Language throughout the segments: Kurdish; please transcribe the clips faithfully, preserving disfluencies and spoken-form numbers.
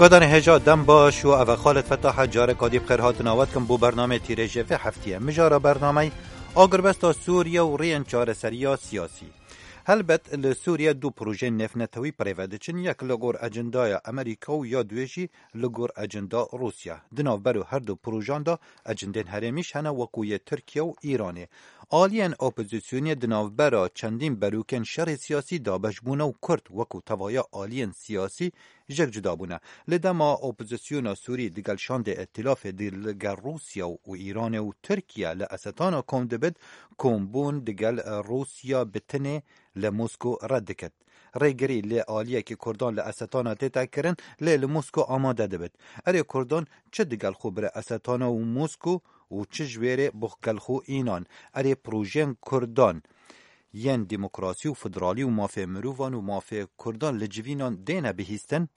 Kadanê hêja dem baş û ev e Xalid Fetah e, careka dî bi xêr hatina we dikim bo bernameyê tîrêjê vê heftiyê. Mijara bernameyê: agirbesta Sûriye û rêyên çareseriya siyasî. Helbet li Sûriye du projeyên nêvnetewî bi rê ve diçin, yek li gor ecendaya Amerîka û ya duyê jî li gor ecenda Rûsya. Di navbero her du projan de ecendên herêmî jî hene, wekû yê Tirkiye û Îranê. Aliyên opozisyonê di navbera çendîn berokên şerê siyasî dabeş bûne û Kurd wekû tevaya aliyên siyasî jek cuda bûne. Li dema opozisyona Sûrî digel şandê îtîlafê di li gel Rûsya û Îranê û Tirkiye li Esetana kom dibit, kombûn digel Rûsya bi tinê li Mosko red diket. Rêgirî li aliyekî Kurdan li Esetana tête kirin, lê li Mosko amade dibit. Erê Kurdan çi digel xwe bire Esetana û Mosko û çi ji wê rê bi gel xwe înan? Erê projeyên Kurdan yên demokrasî û federalî û mafê mirovan û mafê Kurdan li civînan dêne bihîstin?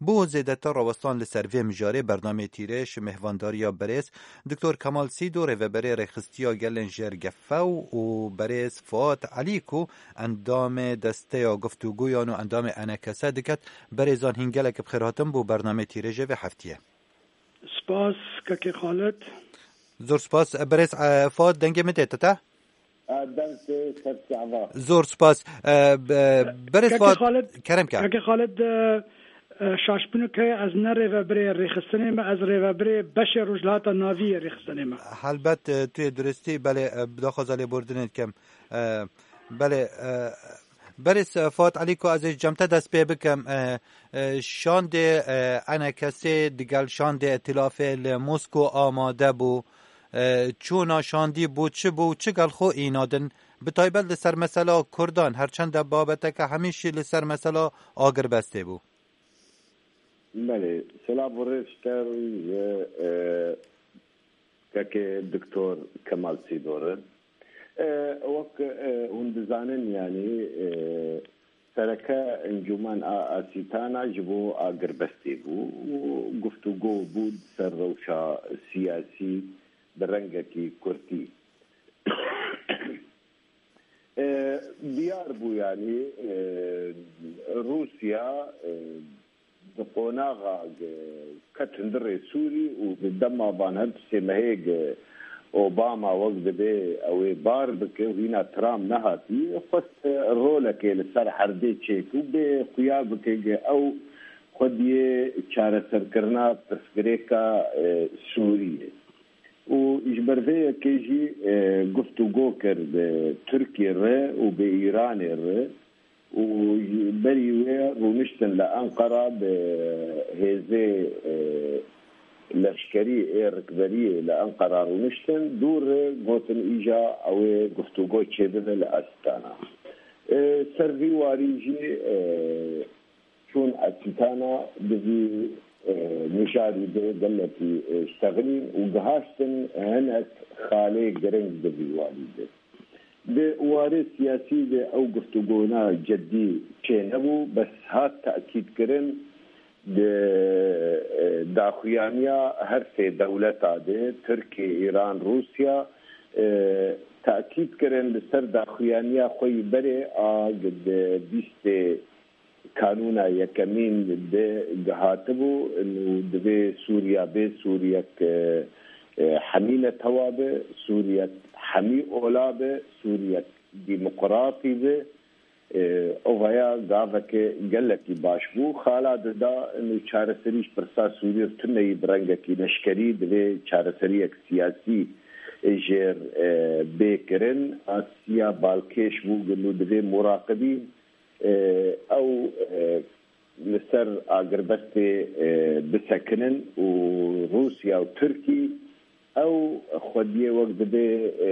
Bo zêdetir rawestan li ser vê mijarê bernameyê tîrêj mêhvandariya berêz Doktor Kemal Sîdo, rêveberê Rêxistiya Gelên Jêr Gefew, û berêz Fuat Elî ku endamê Desteya Guftûgoyan û endamê E N K S diket. Berêzan hîn gelek bi xêr hatin bo bernameyê tîrêjê vê heftiyê. Spas, Kekê Xalid. Zor spas. Berêz, e, Fuat, dengê min tê te? A, deng tê ser çava. Zor spas. E, be-, berêz Kekê Fuat, Xalid, kerem ke. Kekê Xalid, e, e, şaşbûnik heye, ez ne rêvebirê rêxistinê me, ez rêvebirê beşê Rojhilata Navî yê rêxistinê me. Helbet, e, tu yê duristî, belê, e, bi daxwaza lêbordinê dikim. E, belê, e, berêz, e, Fuat Elî ku ez ê ji cem te dest pê bikim, e, e, şandê, e, E N K S'ê digel şandê îtîlafê li Mosko amade bû. E, çûna şandî bû çi bû û çi gel xwe înadin? Bi taybet li ser mesela Kurdan, her çend e babeteke hemî jî li ser mesela agirbestê bû. Belê, silav û rêz ji te re, e, kekê Doktor Kemal Sîdor e. E, wek, e, hûn dizanin, yanî, e, sereke Encûmen a Asîtana ji bo agirbestê bû û guftûgo bû ser rewşa siyasî bi rengekî kurtî. E, diyar bû, yanî, e, Rûsya, e, di qonaxa, e, ket hundirê Sûrî û di dema van her du sê mehê, e, Obama wek dibê ew ê bar bike û hîna Trump nehatî, xwest, e, rolekê li ser herdê çêke û bê xuya bike, e, ew xwediyê çareserkirina pirsgirêka, e, Sûriyê. Û ji ber vê yekê jî, e, guftûgo kir bi Tirkiyê re û bi Îranê re û ji berî wê rûniştin li Enqera bi hêzê, e, leşkerî ê rikberiyê li Enqera rûniştin, dû re gotin îja ew ê guftûgo çêbibe li Astana. E, ser vî warî jî, e, çûn Asîtana di vî, e, mijarî de gelekî, e, ştexilîn û gihaştin hinek xalê giring di vî warî de. Di warê siyasî de ew guftûgona cedî çênebû, bes hat tekîdkirin di, e, daxuyaniya her sê dewleta de, Tirkiye, Îran, Rûsya, e, tekîd kirin li ser daxuyaniya xwe yî berê a di bîstê Kanûna yekemîn de gihatibû, û divê Sûriya bê Sûriyek, e, e, hemî netewa be, Sûriyek hemî ola be, Sûriyek demokratî be. E, ovaya gaveke gelekî baş bû. Xala dida, û çareserî ji pirsa Sûriyê tuneyî bi rengekî leşkerî divê çareseriyek siyasî jêr, e, bê kirin. Asiya balkêş bû, û divê muraqibî e, ew, e, li ser agirbestê, e, bisekinin û Rûsya û Tirkî ew xwediyê wek dibê, e,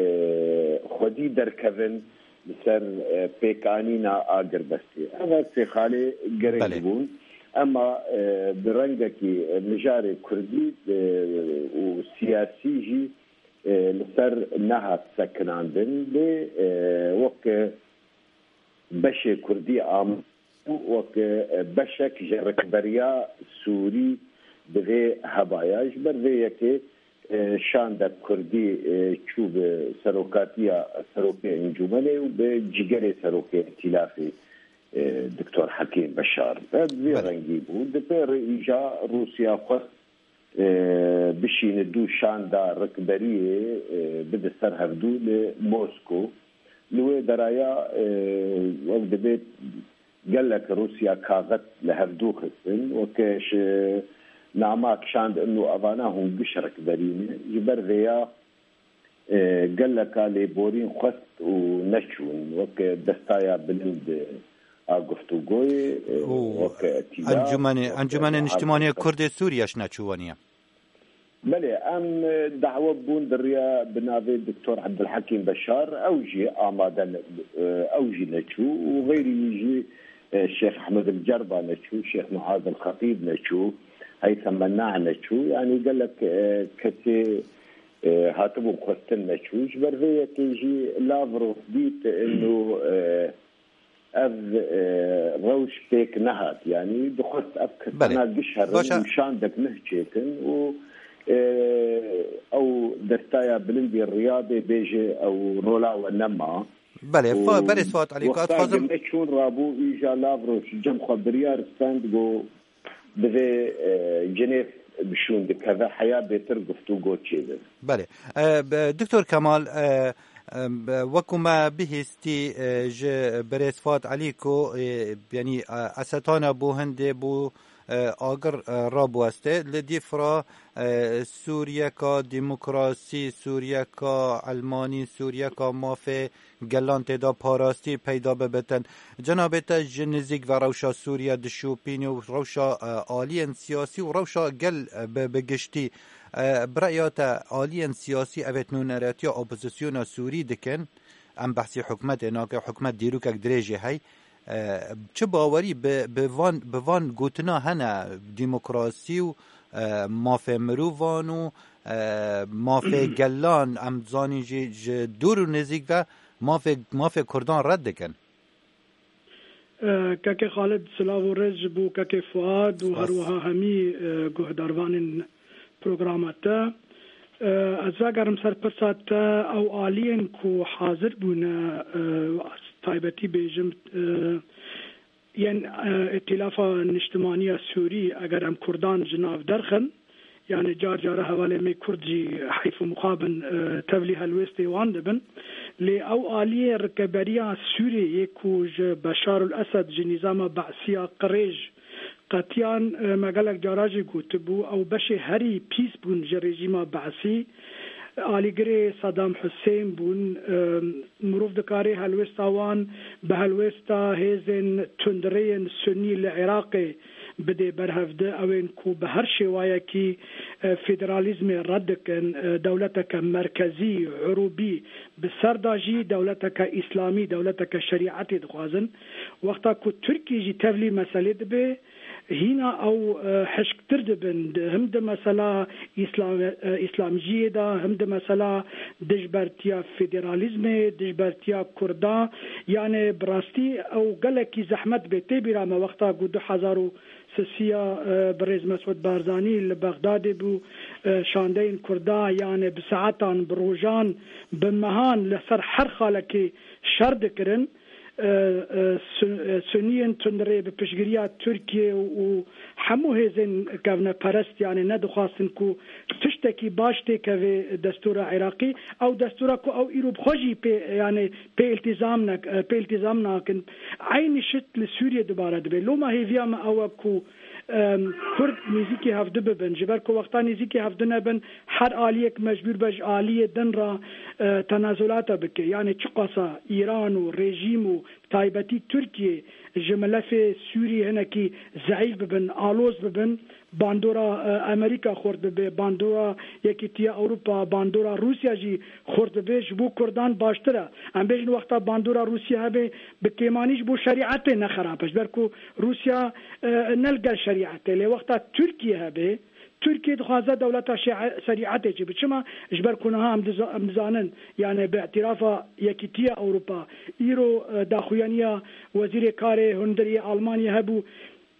xwedî derkevin li ser, e, pêkanîna agirbestê. Ev her sê xalê giring Belê. bûn. Ema, e, bi rengekî, e, mijarê kurdî, e, û siyasî jî, e, li ser nehat sekinandin. Lê, e, wek, e, beşê kurdî am wek, e, beşek ji rikberiya Sûrî divê hebaya. Ji ber vê yekê, e, şandek kurdî, e, çû bi serokatiya serokê encûmenê û bi cîgerê serokê îtîlafê, e, Doktor Hekîm Beşar. Ev vî Belê. rengî bû. Di pêrê îja Rûsya xwest, e, bişîne dû şanda rikberiyê, e, bide ser hevdû li Mosko. Li wê deraya, e, wek dibê gelek Rûsya kaxet li hevdû xistin, weke ji nama kişand inu evana hûn giş rikberî ne. Ji ber vêya, e, geleka lêborîn xwest û neçûn, weke destaya bilind a guftûgoyê, e, Û weke tîya, encûmenê, weke encûmenê niştimanî Kurdê Sûriye ji neçû waniye. Belê, em, e, dawe bûn di riya bi navê Doktor Ebdulhekîm Beşar, ew jî amade ne, e, ew jî neçû û xeyrî wî jî, e, Şêx Ehmed El Cerba neçû, Şêx Muaz El Xetîb neçû, Heytham Menna neçû. Yanî gelek, e, kesê, e, hatibûn xwestin neçû. Ji ber vê yekê jî Lavrov dît inu, e, ev, e, rewş pêk nehat. Yanî dixwest ev kesana Belê. giş herin Baş e. û şandek nuh çêkin û, e, ew destaya bilindî Riyadê bêje ew rola we nema. Belê, Û fa-, belê Suat Elî, wexta ez dixwazim neçûn rabû, îja Lavrov ji cem xwe biryar stend, got, divê, e, Cinêv bi şûn dikeve, heya bêtir guftûgo çêbe. Belê. E, be-, Doktor Kemal, e, e, be-, wekû me bihîstî, e, ji birêz Fuat Elî ku, e, yanî, e, Esetana bû hindê bû, e, agir, e, rabiweste. Li dîfra, e, Sûriyeka demokrasî, Sûriyeka elmanî, Sûriyeka mafê gelan tê de parastî peyda bibitin. Cenabê te ji nizîk ve rewşa Sûriye dişopîne û rewşa, e, aliyên siyasî û rewşa gel, e, bi, bi giştî. E, bi reya te aliyên siyasî evêt nûneretiya opozisyona Sûrî dikin. Em behsî hikûmetê nakin, hikûmet dîrokek dirêjê hey. E, çi bawerî bi, bi van, bi van gotina hene demokrasî û, e, mafê mirovan û, e, mafê gelan, em zanîn jî ji dûr û nêzîk ve mafê, mafê Kurdan red dikin. E, Kekê Xalid, silav û rêz ji bo Kekê Fuad û Spas. her wiha hemî, e, guhdarvanên programa te. E, ez vegerim ser pirsa te, ew aliyên ku hazir bûne, e, taybetî bêjim, e, yên, e, Îtîlafa Niştimanî ya Sûrî, eger em Kurdan ji nav derxin, yani car cara hevalê me Kurd jî heyf û mixabin, e, tevlî helwêstê wan dibin. Lê ew aliyê rikeberiya Sûriyê yê ku ji Beşar ul Esed, ji nîzama Be'siya qirêj qetiyan, e, me gelek cara jî gotibû, ew beşê herî pîs bûn ji rejîma Be'sî. Alîgirê Saddam Hussein bûn. E, mirov dikarê helwêsta wan bi helwêsta hêzên tundreyên Sunnî li Iraqê bidê berhevdi, ew ên ku bi her şêwayekî, e, federalîzmê red dikin, e, dewleteke merkezî, urûbî, bi ser de jî dewleteke îslamî, dewleteke şerîetê dixwazin. Wexta ku Tirkî jî tevlî meselê dibe, hîna ew, e, hişktir dibin. Di, him di mesela îslam-, e, îslamciyê de, him di mesela dijbertiya federalîzmê, dijbertiya Kurda. Yani bi rastî ew gelekî zehmet bê. Tê bîra me wexta ku du hezar û sisiya, e, birêz Mesûd Barzanî li Bexdadê bû, e, şandeyên Kurda, yani bi saetan, bi rojan, bi mehan li ser her xalekê şer dikirin. E, e, Sun-, e, Suniyên tundrê bi piştgiriya Tirkiye û hemû hêzên kevneperest, yani nedixwastin ku tiştekî baş têkeve destûra Iraqî. Ew destûra ku ew îro bi xwe jî pê, yani pê îltîzam nek-, e, pê îltîzam nakin. Eynî şit li Sûriye dubare dibe. Loma hêviya me ew e ku, em, Kurd nêzîkî hevdu bibin. Ji ber ku wexta nêzîkî hevdu nebin, her aliyek mecbûr be ji aliyê din re, e, tenazulata bike. Yani çiqasa Îran û rejîm û taybetî Tirkiye ji milefê Sûrî hinekî zeîf bibin, aloz bibin, bandora, e, Amerîka xurt bibe, bandora Yekîtiya Ewropa, bandora Rûsya jî xurt bibe, ji bo Kurdan baştir e. Em bêjin wexta bandora Rûsya hebe, bi kêmanî ji bo şerîetê ne xerab e. Ji ber ku Rûsya, e, ne li gel şerîetê, lê wexta Tirkiye hebe, Tirkiye dixwaze dewleta şe-, şerîetê çêbe. Çima? Ji ber ku niha em diza-, em dizanin, yani bi îtîrafa Yekîtiya Ewropa, îro, e, daxuyaniya Wezîrê Karê Hundirê yê Almanya hebû,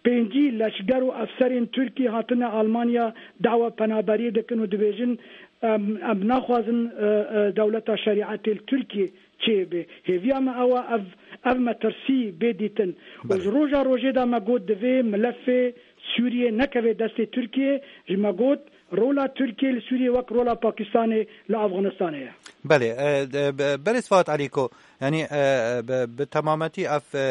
pêncî leşger û efserên Tirkî hatine Almanya dawa penaberiyê dikin û dibêjin, em, em naxwazin, e, e, dewleta şerîetê li Tirkiyê çêbe. Hêviya me ew e, ev Ev metirsî bê dîtin. Û Belê. Ji roja rojê de me got divê milefê Sûriyê nekeve destê Tirkiyê, ji me got rola Tirkiyê li Sûriyê wek rola Pakistanê li Afganistanê ye. Belê, e, de, be-, berêz Fat Elîko, yanî, e, e, bi, bi temametî ev, e,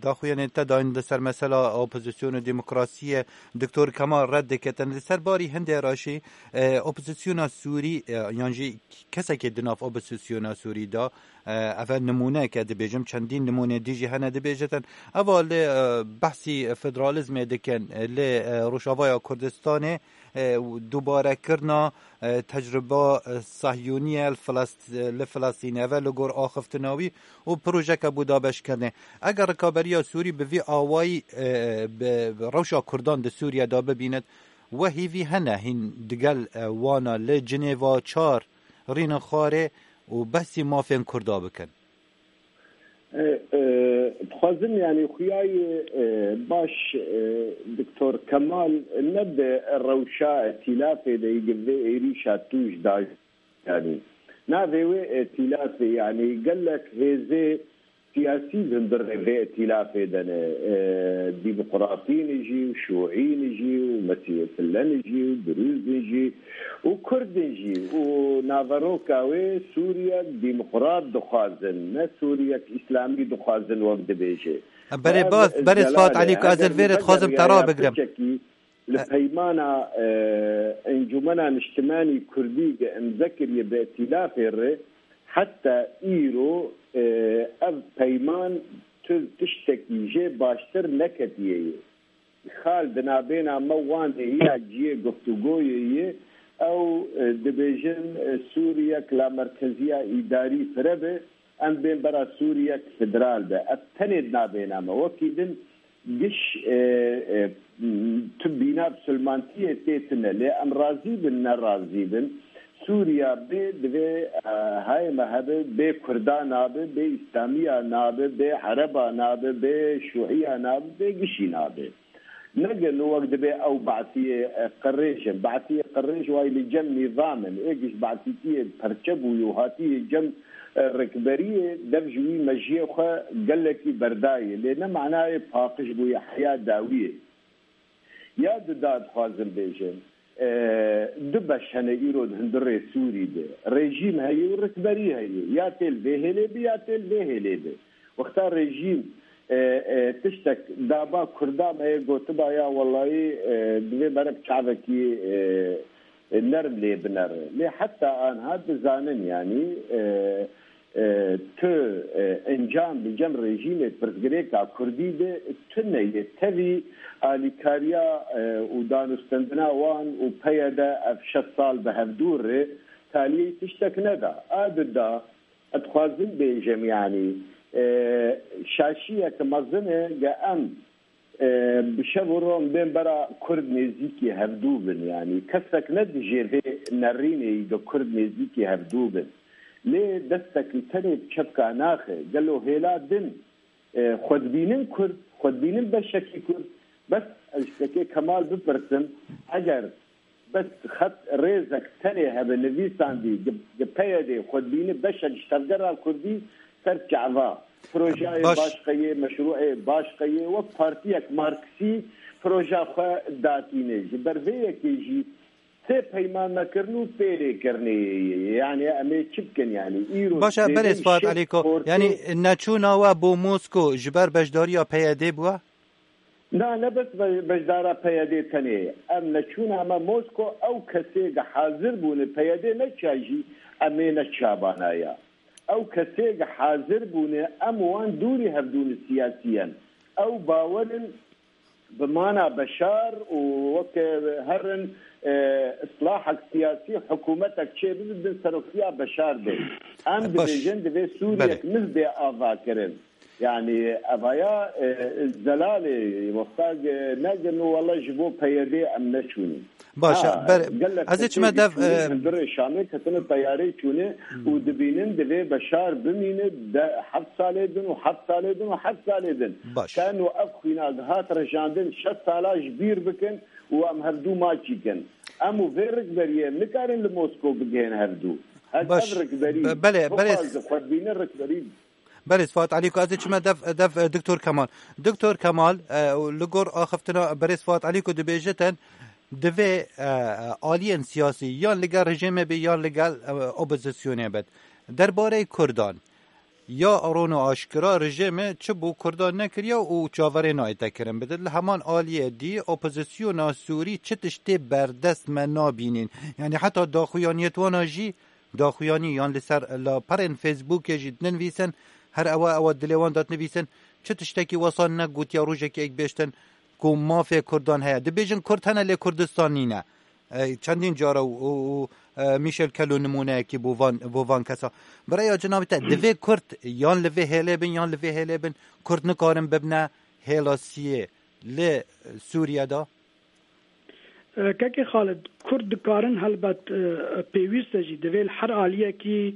daxuyanên te dayîn li ser mesela opozîsyon û demokrasiyê Doktor Kemal red diketin. Li ser barî hindê re jî, e, opozisyona Sûrî, e, yan jî kesekê di nav opozisyona Sûrî de, e, ev nimûneke dibêjim, çendîn nimûnê dî jî hene dibêjitin. Eva li, e, behsî federalizmê dikin, li, e, Rojavaya Kurdistanê, e, dubarekirina, e, tecrüba, e, Sahyûniye li Filast-, li Filastînê, ev e li gor axiftina wî û projeke bû dabeşkirinê. Eger rikaberiya Sûrî bi vî awayî, e, bi, bi rewşa Kurdan di Sûriye de bibînit, we hîvî hene hîn digel, e, wana li Cinêva çar rînin xwarê û behsî mafên Kurda bikin? E, e, dixwazim, yanî, xuyayê, e, baş, e, Doktor Kemal ne di rewşa îtîlafê de yî, di vê êrîşa tûj da, yanî, navê wê îtîlafê, yanî, gelek hêzê siyasî li hundirê vê îtîlafê de ne, e, demokratîn jî û şûîn jî û mesîhîfillen jî û durûzin jî û kurdin jî û naveroka wê Sûriyek demokrat dixwazin, ne Sûriyek îslamî dixwazin wek dibêje. Berê Ev baz, berê Sifat zelal e. Elî, ku ez li Heger vê re dixwazim te vegeriyaya rabigrim. piçekî li E- peymana, e, Encûmena Niştimanî Kurdî ge imze kiriye bi îtîlafê re, heta îro, e, ev peyman tu tiştekî jê baştir neketiye ye. Xal di nabêna me wan de ya cihê guftûgoyê ye. Ew, e, dibêjin, e, Sûriyek lamerkeziya îdarî fire be, em bên bera Sûriyek federal be. Ev tenê di nabêna me. Wekî din giş, e, e, tu bîna bi silmantiyê tê tune. Lê em razî bin, ne razî bin, Sûriya bê, divê, e, hayê me hebe, bê Kurda nabe, bê Îslamiya nabe, bê Ereba nabe, bê Şûiya nabe, bê gişî nabe. Nege no wek dibe ew Baasiyê, e, qirêj in. Baasiyê qirêj wayî li cem nîzam in. Ê giş Baasîtiyê perçe bûyî û hatiye cem, e, rikberiyê, dev ji wî mejiyê xwe gelekî berdayê. Lê ne manayê paqij bûye heya dawiyê. Ya di da dixwazim bêjim, e, du beş hene îro di hundirê Sûrî de. Rejîm heye û rikberî heye. Ya tê li vê hêlê bi, ya tê li vê hêlê bi. Wexta rejîm, e, e, tiştek daba Kurda me yê gotiba ya welayî, e, divê merek çavekî, e, e, nerm lê binere. Lê heta anha dizanin, yanî, e, e, tu, e, encam li cem rejîmê pirsgirêka Kurdî de tune ye. Tevî alîkariya, e, û danûstendina wan û P Y D ev şeş sal bi hevdû re taliyê tiştek neda. A di da, ez dixwazim bêjim, yanî, e, şaşiyek mezin e ge em, e, bi şev û ro em bên bera Kurd nêzîkî hevdû bin. Yanî kesek ne dijê vê nerînê yî ge Kurd nêzîkî hevdû bin. Lê destek li tenê bi çepka naxe. Gelo hêla din, e, xwe dibînin Kurd, xwe dibînin beşekî Kurd? Bes ez ji Kekê Kemal bipirsim, eger bes xet rêzek tenê hebe nivîsandî, di, di P Y D'ê xwe dibîne beşek ji tevgera Kurdî ser çava. Projeyê Baş. baş qeyê, meşrûeyê baş qeyê, wek partiyek Marksî proja xwe datîne. Ji ber vê yekê jî tê peyman me kirin û pêlê kirinê ye. Yanî em ê çi bikin yanî? Îro Baş e, dibêjin berêz Fuat şêst Elîko. ortê Yanî neçûna we bo Mosko ji ber beşdariya P Y D bûye? Na, ne bes be-, beşdara P Y D tenê. Em neçûna me Mosko, ew kesê ge hazir bûne P Y D neça jî em ê neçabanaya. Ew kesê ge hazir bûne, em wan dûrî hevdûne siyasiyen. Ew bawerin bi mana Beşar û weke herin, e, islahek siyasî, hikûmetek çêbibe bin serokiya Beşar be. Em Baş. dibêjin divê Sûriyek Belê. niv bê avakirin. Yanî evaya, e, zelalê wexta ge-, negin û wele ji bo P Y D em neçûnî. Baş, Ha, ber-, gelek ez ê kesê çime dev, diçûnî e, hundirê Şamê ketine teyarê çûne û Hmm. dibînin divê Beşar bimîne de heft salê din û heft salê din û heft salê din. Baş. Teno ev xwîna dihat rejandin şeş sala ji bîr bikin û em hevdû maçî kin. Em û vê rikberiyê em nikarin li Mosko bigihên hevdû. Her Baş. ev rikberî Be-, belê, belê. bixwaze xwe dibîne rikberî. Berêz Fuat Elîko, ez ê çime dev, dev, e, Doktor Kemal. Doktor Kemal, e, li gor axiftina Berêz Fuat Elîko dibêjitin, divê, e, aliyên siyasî yan li gel rejîmê be yan li gel, e, opozisyonê be. Derbarê Kurdan, ya ron û aşkira rejîmê çi bo Kurdan nekiriye û çaverê nayête kirin bide. Li heman aliyê dî opozisyona Sûrî çi tiştê berdest me nabînin. Yanî heta daxuyaniyet wana jî daxuyanî yan li ser laperên Facebookê jî dinivîsin, her ewa ewa dilê wan de dinivîsin, çi tiştekî wesa negotiya rojekê êk bêştin ku mafê Kurdan heye. Dibêjin Kurd hene lê Kurdistan nîne. E, çendîn cara û, û, û, e, Michel Kelo nimûneyekî bo van, bo van kesa. Bi raya cenabê te, divê Kurd yan li vê hêlê bin, yan li vê hêlê bin, Kurd nikarin bibne hêla siyê li Sûriye de? E, Kekê Xalid, Kurd dikarin helbet, e, pêwîst e jî, divê li her aliyekî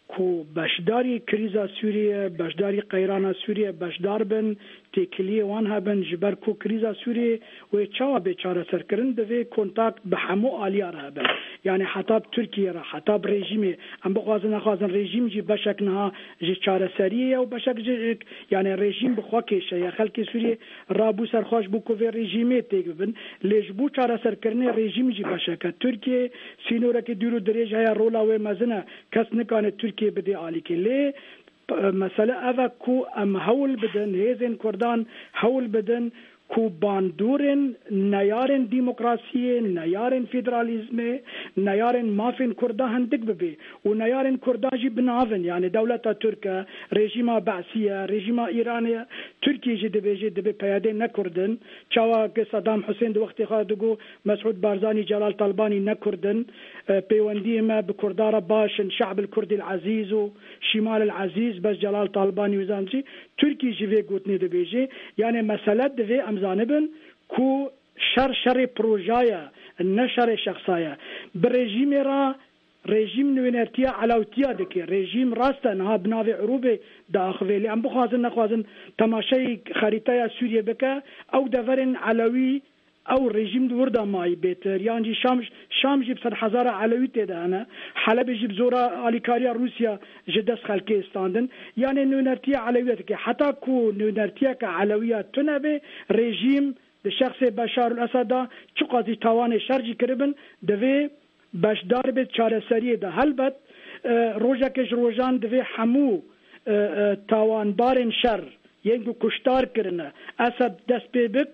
ku beşdarî krîza Sûriyê, beşdarî qeyrana Sûriyê beşdar bin, têkiliyê wan hebin, ji ber ku krîza Sûriyê wê çawa bê çareserkirin, divê kontakt bi hemû aliya re hebin. Yanî heta bi Tirkiye re, heta bi rejîmê, em bixwazin nexwazin rejîm jî beşek niha ji çareseriyê ye û beşek ji, yanî rejîm bi xwe kêşe ye. Xelkê Sûriyê rabû ser xwe ji bo ku vê rejîmê têk bibin. Lê ji bo çareserkirinê rejîm jî beşek e. Tirkiye sînorekî dûr û dirêj heye, rola wê mezin e. Kes nikane Tirkiye bidê alîkê. Lê, p-, mesele ev e ku em hewl bidin, hêzên Kurdan hewl bidin ku bandorên neyarên demokrasiyê, neyarên federalîzmê, neyarên mafên Kurda hindik bibe û neyarên Kurdan jî bi nav in. Yanî dewleta Tirk e, rejîma Be'sî ye, rejîma Îranê ye. Tirkiye jî dibêje, dibê P Y D ne Kurd in. Çawa ki Saddam Husên di wextê xwe digot, Mesûd Barzanî, Celal Talbanî ne Kurd in. E, peywendiyê me bi Kurda re baş in, Şe'b el Kurdî el Ezîz û Şimal el Ezîz, bes Celal Talbanî û zanî. Tirkî jî vê gotinê dibêje. Yanê mesele divê em zanibin ku şer şerê proja ye, ne şerê şexsa ye. Bi rejîmê re, rejîm nûnertiya elewtiya dike. Rejîm rast e, niha bi navê Irûbê diaxivê. Lê em bixwazin nexwazin temaşeyî xerîteya Sûriyê bike, ew deverên elewî, ew rejîm di wir de mayî bêtir. Yan jî Şam, Şam jî bi sedhezara elewî tê de hene. Helebê jî bi zora alîkariya Rûsya ji dest xelkê standin. Yanê nûnertiya elewî dike. Heta ku nûnertiyeke elewî ya tune be, rejîm di şexsê Beşar el Esed de çiqas jî tawanê şer jî kiribin, divê beşdar bê çareseriyê de. Helbet, e, rojeke ji rojan divê hemû, e, e, tawanbarên şer, yên ku kuştar kirine, Esed dest pê bik,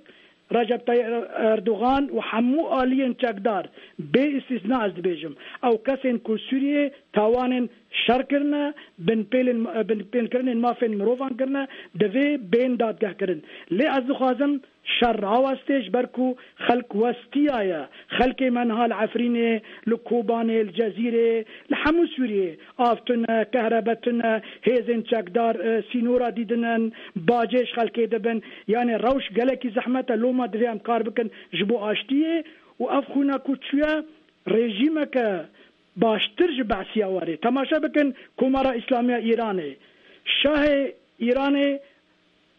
Recep Tayyip Erdogan û hemû aliyên çekdar, bê îstîsna ez dibêjim, ew kesên ku Sûriyê tawanên şer kirine, binpêlên, binpêlkirinên mafên mirovan kirine, divê bên dadgehkirin. Lê ez dixwazim şer rawestê, ji ber ku xelk westiyaye. Xelkê me niha li Efrînê, li Kobanê, li Cezîrê, li hemû Sûriyê av tune, kehrebe tune, hêzên çekdar, e, sînora dîdinin, bacê ji xelkê dibin. Yanê rewş gelekî zehmet e, loma divê em kar bikin ji bo aştiyê û ev xwîna ku çûye rejîmeke baştir ji Be'siya were. Temaşe bikin Komara Îslamiya Îranê. Şahê Îranê,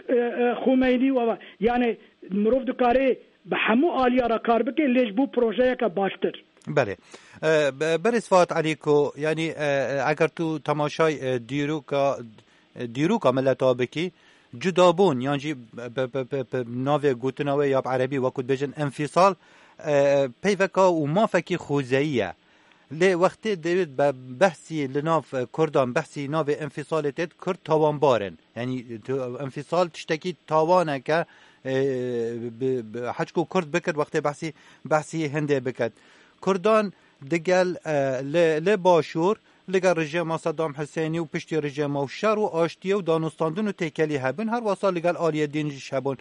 e, e, Xumeynî û ava. Yanê mirov dikare bi hemû aliya re kar bike, lê ji bo projeyeke baştir. Belê. E, be-, Berêz Fuat Elîko, yanî, e, e, eger tu temaşay, e, dîroka, e, dîroka mileta bikî, cudabûn, yan jî bi, bi, bi, bi navê gotina wê ya bi erebî, wekû dibêjin enfîsal, e, peyveka û mafekî xwezeyî ye. Lê wextê dê be-, behsî li nav, e, Kurdan, behsî navê enfîsalê têt, Kurd tawanbar in. Yanî, tu, enfîsal tiştekî tawaneke, e, bi, bi, heçku Kurd bikir, wextê behsî, behsî hindê biket. Kurdan digel, e, li, li Başûr, li gel rejîma Saddam Husênî û piştî rejîma û şer û aştiyê û danûstandin û têkelî hebûn, her wesa li gel aliyê din jî hebûn.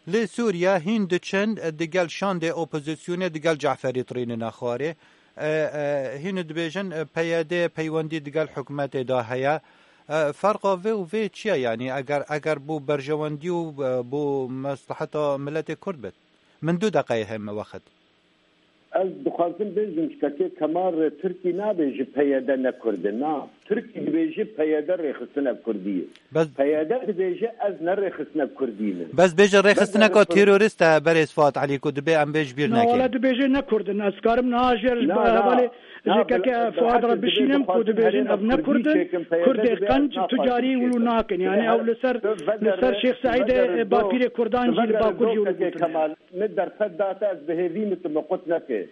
Li Sûriye hîn diçin, e, digel şandê opozisyonê, digel Ceferî tirînine xwarê. E, e, hîn dibêjin, e, P Y D peywendî digel hikûmetê de heye. E, ferqa vê û vê çi ye? Yanî eger, eger bo berjewendî û, e, bo mesleheta miletê Kurd bit? Min du deqeyê heye me wexit. Ez dixwazim bêjim, ji kekê Kemal re Tirkî nabê ji P Y D ne Kurd in, na. Tirkî dibêje P Y D rêxistina Kurdî ye. Bes P Y D dibêje ez ne rêxistina Kurdî me. Bes bêje rêxistineka terorîst e, berêz Fuat Elî, ku dibê em bê ji bîr Na, nekin. Wala dibêje ne Kurd in. Ez karim niha jê Na, na, hevalê na, jêkeke bil-, Fuat re bilhekî bişînim dibê ku dibêjin ev ne Kurd in. Kurdê qenc tu carî wilo nakin. Yani ew li ser, li ser Şêx Seîdê, bapîrê Kurdan jî li Bakur jî wilo gotin. Kemal, min derfet date ez bi hêvî min tu min qut neke.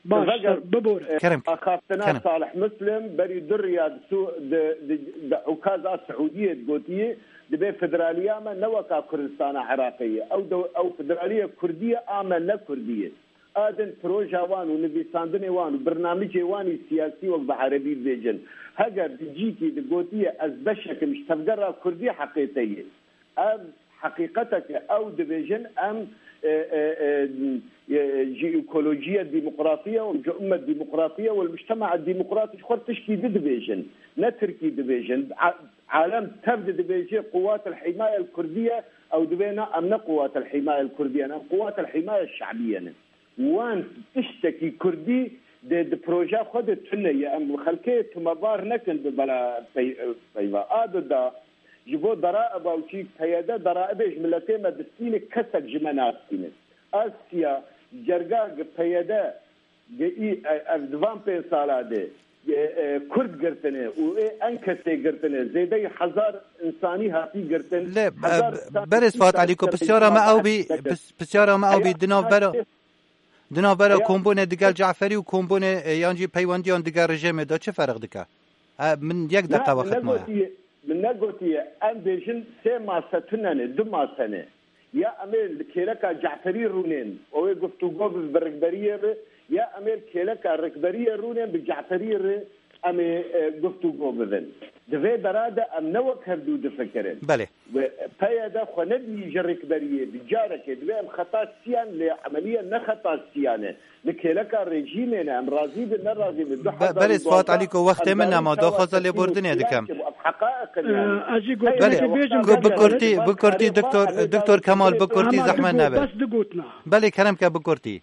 Baş, Veger, bibore. E, Kerem, axaftina kerem. Salih Muslim berî du riya di Su-, di, di, di Ukaza Siûdiyê digotiye, dibê federaliya me ne weka Kurdistana Iraqê ye. Ew de, ew federaliya Kurdî ye, a me ne Kurdî ye. A din proja wan û nivîsandinê wan û birnamicê wan î siyasî wek bi erebî dibêjin. Heger di cîkî digotiye ez beşek im ji tevgera Kurdî heqê te ye. Ev heqîqeteke ew dibêjin, em, e, e, e, e, ji ekolojiya demokratiya û ji ummet demokratiya û mujtema demokratî ji xwe tişkî di dibêjin. Ne Tirkî dibêjin. A-, alem tev di dibêje quwat el himaya el Kurdiye, ew dibê na, em ne quwat el himaya el Kurdiye ne, em quwat el himaya şebiye ne. Wan tiştekî Kurdî de di proja xwe de tune ye. Em xelkê tumebar nekin bi bela pey-, peyva. A di da ji bo deraeba û çî P Y D deraebê ji miletê me distîne, kesek ji me nastîne. Asya cerga gi P Y D gi î, e, ev di van pênc sala de, e, e, Kurd girtine û ê en kesê girtine. Zêdeyî hezar insanî hatî girtin. Lê, e, Hezar insan berêz Fuat Elî, ku pisyara me ew bî, pis-, pisyara me ew bî, di navbera Di navbera Eya kombûnê digel Ceferî û kombûnê, e, yan jî peywendiyan digel rejêmê de çi ferq dike? E, min yek deqa wext maye. Negotiye, min negotiye, em bêjin sê mase tune ne, du mase ne. Ya em ê li kêleka Ceferî rûnên, ew ê guftûgo bi, bi rikberiyê re, ya em ê li kêleka rikberiyê rûnên bi Ceferî re, em ê, e, guftûgo bibin. Di vê dera de em ne wek hevdû difikirin. Belê. Ve P Y D xwe nedî ji rikberiyê, bi carekê divê em xeta siyan lê emeliye ne xeta siyan e. Li kêleka rejîmê ne, em razî bin, ne razî bin. Be-, berêz Fuat Elî, ku wextê min nema, daxwaza lêbordinê dikem. Ev heqaeq in yani. Ee, ez jî gotinekê Belê, bêjim, ku bi kurtî, bi kurtî, doktor, doktor Kemal, bi kurtî zehmet nebe. Bes du gotina. Belê, kerem ke bi kurtî.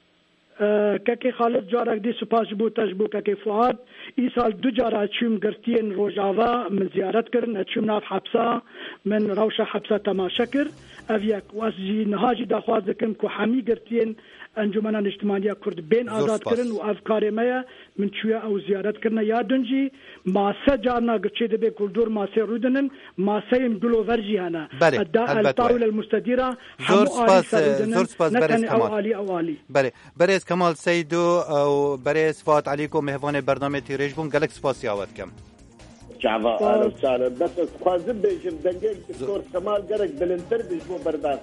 Kekê Xalid, carek dî spas ji bo te, ji bo kekê Fuad. Îsal du cara çûm girtiyên Rojava, min ziyaret kirin, ez çûm nav hepsa, min rewşa hepsa temaşe kir. Ev yek. Û ez jî niha jî daxwaz dikim ku hemî girtiyên Encûmena Niştimaniya Kurd bên azad kirin û ev karê me ye. Min çûye ew ziyaret kirine. Ya din jî mase carna giçê dibe ku li dor masê rûdinin, maseyên gilover jî hene. Belê, helbet waye. Zor spas, zor spas, berêz Kemal. Belê. Berêz Kemal Seydo û berêz Fuat Elî ku mêvanê bernamê Tîrêj bûn, gelek spasiya we dikim. Çava, sağ ol, sağ ol. Bes ez dixwazim bêjim, dengê Doktor Kemal gerek bilindtir bi ji bo berdan.